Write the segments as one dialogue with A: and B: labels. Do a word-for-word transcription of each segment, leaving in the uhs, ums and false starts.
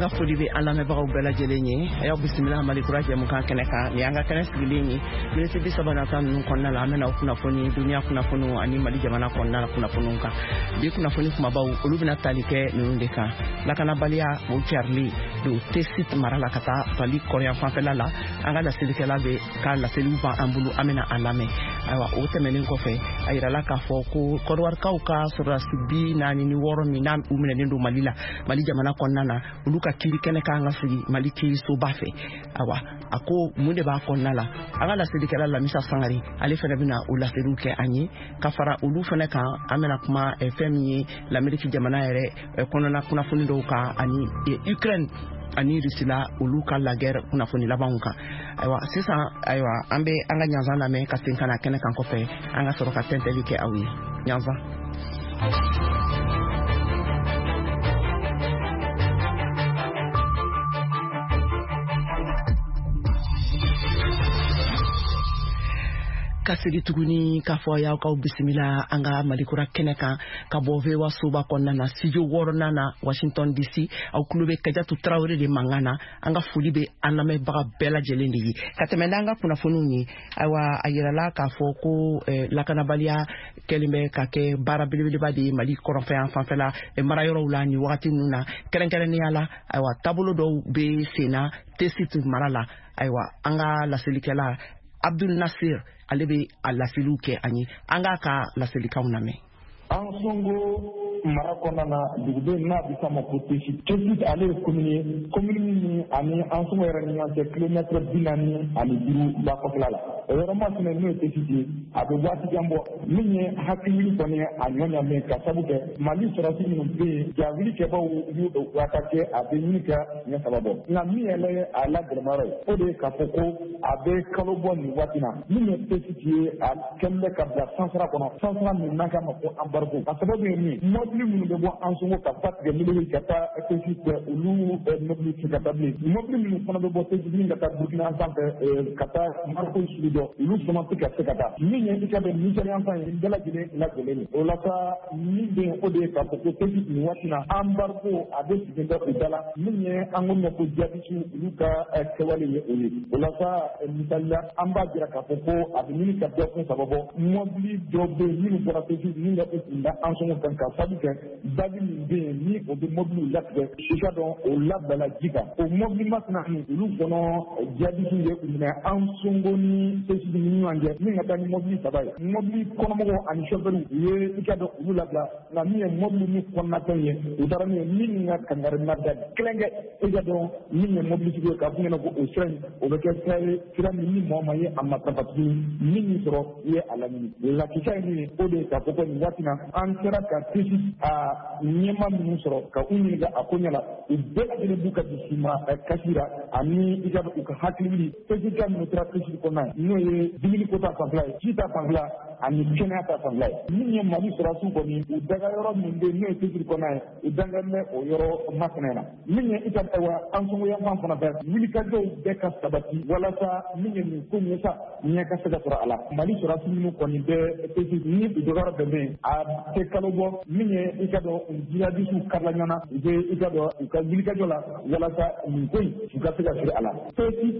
A: An ka foli bɛ an lamɛnbagaw bɛɛ lajɛlen ye. A y'aw bisimila Mali kura jɛmukan kɛnɛ kan. Nin y'an ka kɛnɛ sigilen ye. Miniti bi saba nata ninnu kɔnɔna la, an bɛna aw kunnafoni duniya kunnafoniw ani Mali jamana kɔnɔna la kunnafoniw kan. Bi kunnafoni kumabaw, olu bɛna tali kɛ ninnu de kan. Lakanabaliya o carili don Tessit mara la ka taa Mali kɔrɔyan fanfɛla la. An ka laselikɛla bɛ ka laseliw b'an bolo, an bɛna a lamɛn. Ayiwa, o tɛmɛnen kɔfɛ, a yirala k'a fɔ ko Kɔdiwarikaw ka sɔrɔdasi bi naani ni wɔɔrɔ min n'a u minɛlen don Mali la, Mali jamana kɔnɔna na, olu ka kiiri kɛnɛ kan ka sigi Mali kiirisoba fɛ. Awa, a ko mun de b'a kɔnɔna la, an ka laselikɛla Lamisa Sangare, ale fana bɛna o laseliw kɛ an ye. Ka fara olu fana kan, an bɛna kuma fɛn min ye l'Amérique jamana yɛrɛ kɔnɔna kunnafoni dɔw kan, ani Ukraine ani Russie la olu ka la guerre kunnafoni labanw kan. Ayiwa, sisan, ayiwa, an bɛ an ka ɲanzan lamɛn ka segin ka na kɛnɛ kan kɔfɛ, an ka sɔrɔ ka tɛntɛli kɛ aw ye. Ɲanzan. Ka segi tuguni k'a fɔ y'aw k'aw bisimila an ka Malikura kɛnɛ kan ka bɔ V O A soba kɔnɔna na, studio wɔɔrɔnan na, Washington D C. Aw tulo bɛ Kajatu Tarawele de mankan na. An ka foli bɛ an lamɛnbaga bɛɛ lajɛlen de ye. Ka tɛmɛ n'an ka kunnafoniw ye, ayiwa, a yirala k'a fɔ ko eh, lakanabaliya kɛlen bɛ ka kɛ baara belebeleba de ye Mali kɔrɔnfɛ yan fanfɛla eh, marayɔrɔw la nin wagati ninnu na, kɛrɛnkɛrɛnnenya la, ayiwa, taabolo dɔw bɛ sen na Tessit mara la. Ayiwa, an ka laselikɛla Abdul Nasir, ale bɛ a laseliw kɛ an ye. An k'a ka laselikanw lamɛn.
B: Ansongo mara kɔnɔna na, duguden n'a bɛ f'a ma ko Tessit. Tessit ale ye commune ye, commune min ani Ansongo yɛrɛ ni ɲɔgɔn cɛ kilomètre bi naani ani duuru ba kɔfɛla la. O yɔrɔ masina n'o ye Tessit ye, a bɛ waati jan bɔ min ye hakili kɔni a ɲɔ ɲamen ka sabu kɛ Mali sɔrɔdasi minnu bɛ yen, jawuli kɛbaw y'u attaqué, a bɛ ɲini ka siɲɛ saba bɔ. Nka min yɛrɛ ye a la gɛlɛmayɔrɔ ye, o de ye k'a fɔ ko a bɛ kalo bɔ nin waati na, min ye Tessit ye, a kɛlen bɛ ka bila sansara kɔnɔ, sansara min n'an k'a ma ko embargo. A sababu ye min ye, mɔbili minnu bɛ bɔ Ansongo ka ba tigɛ Meleke ka taa Tessit fɛ, olu mɔbili tɛ ka taa bilen. Mɔbili minnu fana bɛ bɔ Tessit min ka taa Burukina fan fɛ, ka taa Mariko sugu dɔ, olu fana tɛ ka se ka taa. Min ye i ka bɛn Nigérian fan ye, nin bɛɛ lajɛlen lajɛlen ye. O la sa, min bɛ yen, o de ye k'a fɔ ko Tessit nin waati na, embargo a bɛ sigi bɛ u da la. Min ye an ko ma ko jihadisiw, olu ka kɛwale ye o ye. O la sa, misali la, an b'a jira k'a fɔ ko a bɛ ɲini ka dɔgɔkun saba bɔ, mɔbili dɔw bɛ yen minnu bɔra Tessit min ka u kun da Ansongo kan, ka sabu kɛ baji min bɛ yen ni o bɛ mɔbiliw latigɛ, i ka dɔn o labilala ji kan. O mɔbili masina olu kɔnɔ, jihadisiw ye u minɛ Ansongo ni Tessit ni ɲɔgɔn cɛ, min ka taa ni mɔbili saba ye. Mɔbili kɔnɔmɔgɔw ani sofɛriw, u ye i ka dɔn olu labila, nka min ye mɔbili min kɔnɔnafɛn ye, u taara n'u ye. Min ka kangari ma da kelen kɛ, i ka dɔn min ye mɔbilitigi ye, k'a f'u ɲɛna ko o sira in, o bɛ kɛ sira ye, sira min ni mɔgɔ ma ye a matarafa tuguni, min y'i sɔrɔ i ye a laɲini. Lakika ye min ye, o de ye k'a fɔ ko nin waati na, an sera ka Tessit a ɲɛma minnu sɔrɔ ka u ɲininka a ko ɲɛ la, u bɛɛ lajɛlen b'u ka dusuma kasi la ani i ka u ka hakili wuli. Tessit ka minnu tora Tessit kɔnɔna ye, n'o ye dumuni ko ta fanfɛla ye, ji ta fanfɛla ani kɛnɛya ta fanfɛla ye. Min ye Mali sɔrɔdasiw kɔni, u daga yɔrɔ min bɛ yen n'o ye Tessit kɔnɔna ye, u dangan bɛ o yɔrɔ masina na. Min ye i ka ayiwa Ansongo yanfan fana fɛ, wulikajɔw bɛɛ ka sabati walasa min ye nin ko in ye sa, ɲɛ ka se ka sɔrɔ a la. Mali sɔrɔdasi minnu kɔni bɛ Tessit ni u dɔgɔyɔrɔ bɛn bɛ yen, a tɛ kalo bɔ, min ye i ka dɔn jihadisiw karila ɲɔgɔn na, u bɛ i ka dɔn u ka wulikajɔ la walasa nin ko in u ka se ka siri a la. Tessit,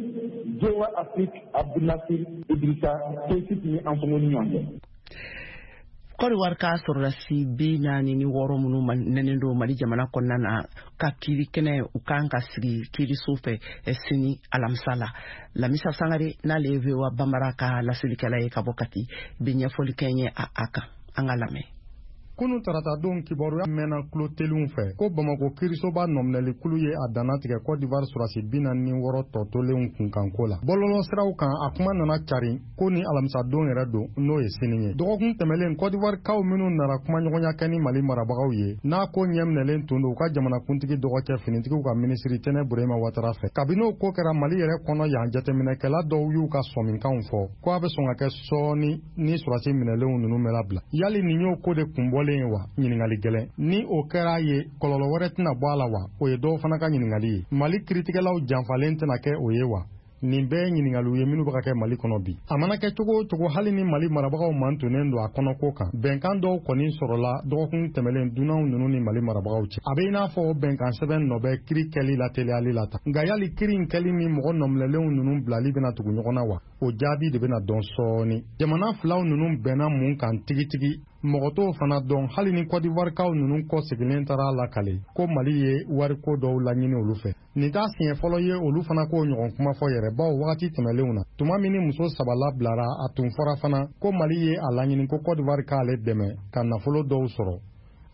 B: V O A Afrique, Abdul Nasir Idrissa, Tessit ni Ansongo ni ɲɔgɔn cɛ.
A: Kɔdiwari ka sɔrɔdasi bi naani ni wɔɔrɔ minnu nɛnen don Mali jamana kɔnɔna na ka kiiri kɛnɛ, u kan ka sigi kiiriso fɛ sini alamisa la. Lamisa Sangare, n'ale ye V O A Bambara ka laselikɛla ye ka bɔ Kati, bɛ ɲɛfɔli kɛ n ye a a kan. An ka lamɛn.
C: Kunu taratadon, kibaruya mɛnna kulo teliw fɛ ko Bamako kiirisoba nɔminɛlikulu ye a dannatigɛ Cote d'Ivoire sɔrɔdasi bi naani ni wɔɔrɔ tɔ tolenw kunkanko la. Bɔlɔlɔsiraw kan, a kuma nana cari ko ni alamisadon yɛrɛ don, n'o ye sini ye. Dɔgɔkun tɛmɛlen, Cote d'Ivoire kaw minnu nana kumaɲɔgɔnya kɛ ni Mali marabagaw ye, n'a ko ɲɛminɛlen tun don u ka jamanakuntigi dɔgɔcɛ, finitigiw ka minisiri Tɛnɛ Burema Watara fɛ. Kabini o ko kɛra Mali yɛrɛ kɔnɔ yan, jateminɛkɛla dɔw y'u ka sɔminkanw fɔ ko a bɛ sɔn ka kɛ sɔɔni ni sɔrɔdasi minɛlenw ninnu bɛ labila. Yali nin y'o ko de kunbɔlen ye wa? Ɲiningali gɛlɛn. Ni o kɛra ye, kɔlɔlɔ wɛrɛ tɛna bɔ a la wa? O ye dɔw fana ka ɲiningali ye. Mali kiritigɛlaw janfalen tɛna kɛ o ye wa? Nin bɛɛ ye ɲininkaliw ye minnu bɛ ka kɛ Mali kɔnɔ bi. A mana kɛ cogo o cogo, hali ni Mali marabagaw mantonnen don a kɔnɔko kan, bɛnkan dɔw kɔni sɔrɔla dɔgɔkun tɛmɛlen dunanw ninnu ni Mali marabagaw cɛ. A bɛ i n'a fɔ o bɛnkan sɛbɛn nɔ bɛ kiri kɛli la teliyali la tan. Nka yali kiri in kɛli ni mɔgɔ nɔminɛlenw ninnu bilali bɛna tugu ɲɔgɔn na wa? O jaabi de bɛna dɔn sɔɔni. Jamana filaw ninnu bɛnna mun kan tigitigi, mɔgɔ t'o fana dɔn, hali ni Côte d'Ivoirekaw ninnu kɔ seginnen taara lakale ko Mali ye wariko dɔw laɲini olu fɛ. Nin t'a siɲɛ fɔlɔ ye olu fana k'o ɲɔgɔn kuma fɔ yɛrɛ, bawo wagati tɛmɛlenw na, tuma min ni muso saba labilara, a tun fɔra fana ko Mali ye a laɲini ko Côte d'Ivoire k'ale dɛmɛ ka nafolo dɔw sɔrɔ,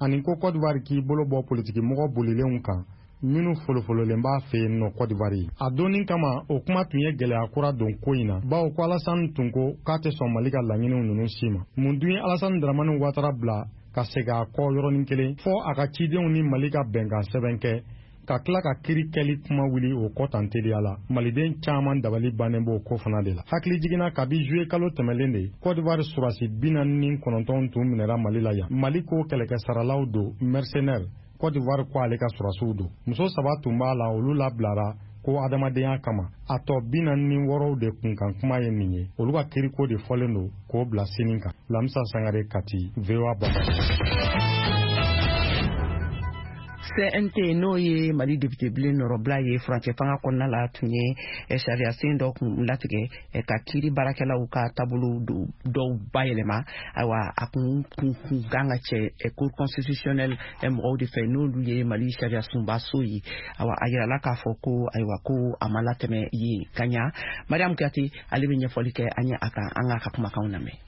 C: ani ko Côte d'Ivoire k'i bolo bɔ politikimɔgɔ bolilenw kan minnu folofololen b'a fɛ yen nɔ Côte d'Ivoire ye. A donni kama, o kuma tun ye gɛlɛya kura don ko in na, bawo ko Alassane tun ko k'a tɛ sɔn Mali ka laɲiniw ninnu si ma. Mun dun ye Alassane Dramane Ouattara bila ka segin a kɔ yɔrɔnin kelen fɔ a ka cidenw ni Mali ka bɛnkan sɛbɛn kɛ, ka tila ka kiri kɛli kuma wuli o kɔ tan teliya la? Maliden caman dabali bannen b'o ko fana de la. Hakili jiginna, kabi juillet kalo tɛmɛlen de, Côte d'Ivoire surasi bi naani ni kɔnɔntɔn tun minɛra Mali la yan. Mali ko kɛlɛkɛsaralaw don, mercenaire. Côte d'Ivoire ko ale ka surasiw don. Muso saba tun b'a la, olu labilara ko adamadenya kama. A tɔ bi naani ni wɔɔrɔw de kunkan kuma ye nin ye. Olu ka kiriko de fɔlen don k'o bila sini kan. Lamisa Sangare, Kati, V O A Bambara.
A: C N T, n'o ye Mali député bilen nɔrɔbila ye furancɛ fanga kɔnɔna la, tun ye sariya sen dɔ kun latigɛ ka kiiri baarakɛlaw ka taabolo dɔw bayɛlɛma. Ayiwa, a kun kun kun kan ka cɛ Cour constitutionnelle mɔgɔw de fɛ, n'olu ye Mali sariya sunba so ye. Ayiwa, a yirala k'a fɔ ko, ayiwa, ko a ma latɛmɛ yen ka ɲa. Mariam Kuyate, ale bɛ ɲɛfɔli kɛ an ye a kan. An k'a ka kumakanw lamɛn.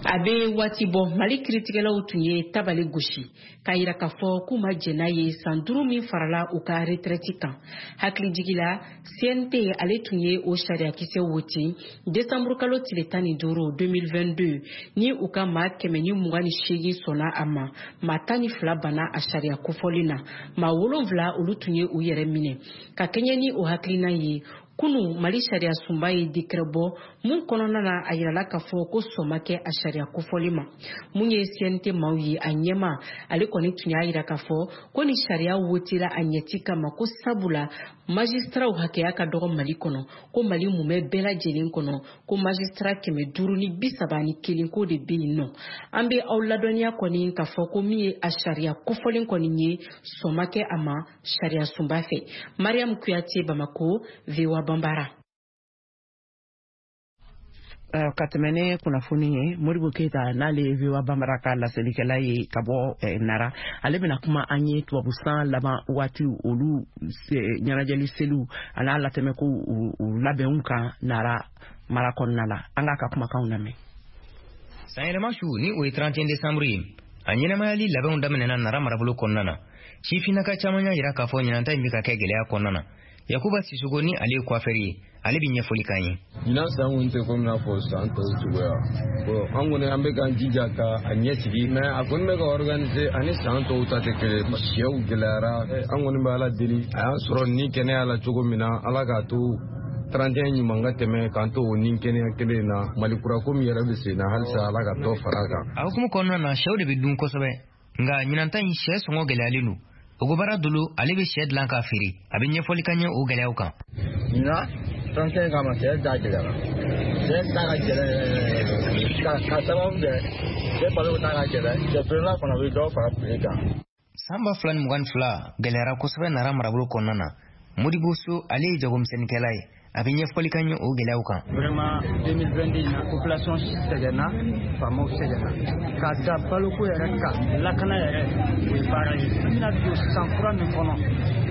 D: A bɛ waati bɔ, Mali kiritigɛlaw tun ye tabali gosi k'a yira k'a fɔ k'u ma jɛn n'a ye san duuru min farala u ka retraite kan. Hakilijigi la, C N T ale tun ye o sariyakisɛ wote desanburu kalo tile tan ni duuru deux mille vingt-deux, ni u ka maa kɛmɛ ni mugan ni seegin sɔnna a ma, maa tan ni fila banna a sariya kofɔlen na, maa wolonfila olu tun ye u yɛrɛ minɛ. Ka kɛɲɛ ni o hakilina ye, kunu Mali sariya sunba ye décret bɔ mun kɔnɔna na a yirala k'a fɔ ko sɔn ma kɛ a sariya kofɔlen ma. Mun ye C N T maaw ye, a ɲɛma ale kɔni tun y'a yira k'a fɔ ko ni sariya wotela a ɲɛti kama, ko sabula magistraw hakɛya ka dɔgɔ Mali kɔnɔ, ko Mali mumɛ bɛɛ lajɛlen kɔnɔ, ko magistrat kɛmɛ duuru ni bi saba ni kelen ko de bɛ yen nɔ. An bɛ aw ladɔnniya kɔni k'a fɔ ko min ye a sariya kofɔlen kɔni ye, sɔn ma kɛ a ma sariya sunba fɛ. Mariam Kuyate, Bamako, V O A Bambara.
A: Ka tɛmɛ ne kunnafoni ye, Modibo Keyita, n'ale ye V O A Bambara ka laselikɛla ye ka bɔ Nara, ale bɛna kuma an ye tubabu san laban waati olu ɲɛnajɛli seliw a n'a latɛmɛ ko u labɛnw kan Nara mara kɔnɔna la. An k'a ka kumakanw lamɛn.
E: Sanyɛlɛma su, ni o ye trente et un décembre ye, a ɲɛnamayali labɛnw daminɛna Nara marabolo kɔnɔna na. Sifinnaka caman y'a yira k'a fɔ ɲinanta in bɛ ka kɛ gɛlɛya kɔnɔna na. Yakuba Sisoko, ni ale ye coiffeur ye, ale bɛ ɲɛfɔli k'an ye.
F: Ɲinan san kɔni tɛ komi n'a fɔ san tɔw cogoya. Bon, an kɔni an bɛ k'an jija ka a ɲɛsigi, mais a kɔni bɛ ka organiser ani san tɔw ta tɛ kelen. Sɛw gɛlɛyara. An kɔni bɛ Ala deli, a y'an sɔrɔ ni kɛnɛya la cogo min na, Ala k'a to trente et un ɲuman ka tɛmɛ k'an to o ni kɛnɛya kelen in na. Mali kura ko min yɛrɛ bɛ sen na, halisa Ala ka dɔ fara a kan.
E: A hukumu kɔnɔna na, sɛw de bɛ dun kosɛbɛ, nka ɲinanta in sɛ sɔngɔ gɛlɛyalen don. Ogobara Dolo, ale bɛ sɛ dilan k'a feere, a bɛ ɲɛfɔli ka ɲɛ o gɛlɛyaw kan.
G: Ɲinan trente et un kama, sɛ da gɛlɛyara, sɛ da ka gɛlɛn ka ka sababu kɛ sɛ balo ta ka gɛlɛn, sɛ feerela fana bɛ dɔ fara prix kan.
E: San ba fila ni mugan ni fila gɛlɛyara kosɛbɛ Nara marabolo kɔnɔna na. Modibo So, ale ye jagomisɛnnikɛla ye, a bɛ ɲɛfɔli ka ɲɛ o gɛlɛyaw kan.
H: Vraiment, deux mille vingt-deux in na, population sɛgɛnna, faamaw sɛgɛnna k'a da baloko yɛrɛ kan, lakana yɛrɛ, o ye baara ye. An bɛna don san kura min kɔnɔ,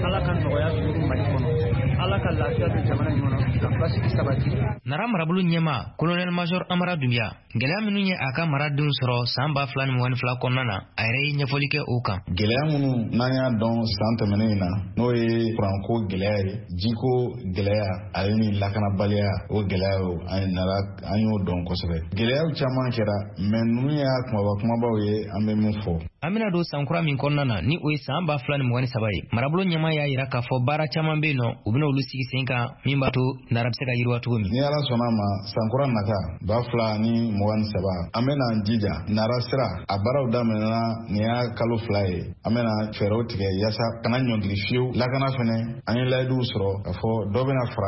H: Ala ka nɔgɔya don Mali kɔnɔ, Ala ka lafiya don jamana in kɔnɔ, ka basigi sabati.
E: Nara marabolo ɲɛma, colonel major Amara Dunbiya, gɛlɛya minnu ye a ka maradenw sɔrɔ san ba fila ni mugan ni fila kɔnɔna na, a yɛrɛ ye ɲɛfɔli kɛ o kan.
I: Gɛlɛya minnu n'an y'a dɔn san tɛmɛnen in na, n'o ye kuranko gɛlɛya ye, jiko gɛlɛya ale ni lakanabaliya, o gɛlɛya o an nara an y'o dɔn kosɛbɛ. Gɛlɛyaw caman kɛra, mais ninnu y'a kumaba kumabaw ye an bɛ min fɔ.
E: An bɛna don san kura min kɔnɔna na, ni o ye san ba fila ni mugan ni saba ye, marabolo ɲɛma y'a yira k'a fɔ baara caman bɛ yen nɔ, u bɛna olu sigi sen kan min b'a to Nara bɛ se ka yiriwa cogo min.
I: Ni Ala sɔnna ma, san kura nata ba fila ni mugan ni saba, an bɛna an jija Nara sira a baaraw daminɛna nin y'a kalo fila ye. An bɛna fɛɛrɛw tigɛ yaasa kana ɲɔngiri fiyewu. Lakana fɛnɛ, an ye layiduw sɔrɔ k'a fɔ dɔ bɛna fara.